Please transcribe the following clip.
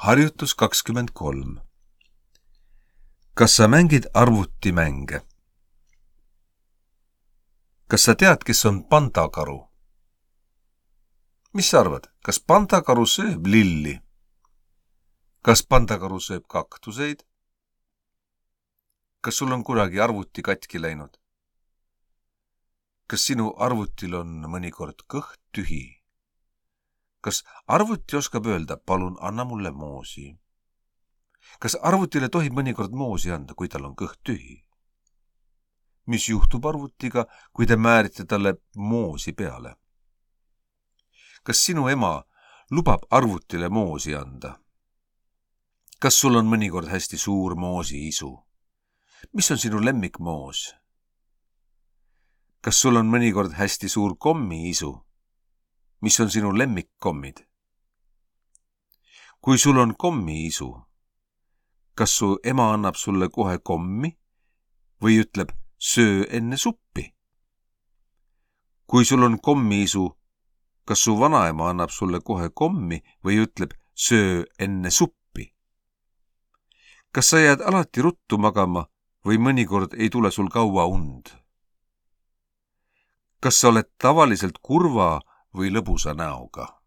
Harjutus 23. Kas sa mängid arvutimänge? Kas sa tead, kes on pandakaru? Mis sa arvad, kas pandakaru sööb lilli? Kas pandakaru sööb kaktuseid? Kas sul on kunagi arvuti katki läinud? Kas sinu arvutil on mõnikord kõht tühi? Kas arvuti oskab öelda, palun anna mulle moosi? Kas arvutile tohib mõnikord moosi anda, kui tal on kõht tühi? Mis juhtub arvutiga, kui te määrite talle moosi peale? Kas sinu ema lubab arvutile moosi anda? Kas sul on mõnikord hästi suur moosiisu? Mis on sinu lemmikmoos? Kas sul on mõnikord hästi suur kommiisu? Mis on sinu lemmikkommid? Kui sul on kommiisu, kas su ema annab sulle kohe kommi või ütleb, söö enne suppi? Kui sul on kommiisu, kas su vanaema annab sulle kohe kommi või ütleb, söö enne suppi? Kas sa jääd alati ruttu magama või mõnikord ei tule sul kaua und? Kas sa oled tavaliselt kurva või lõbusa näoga?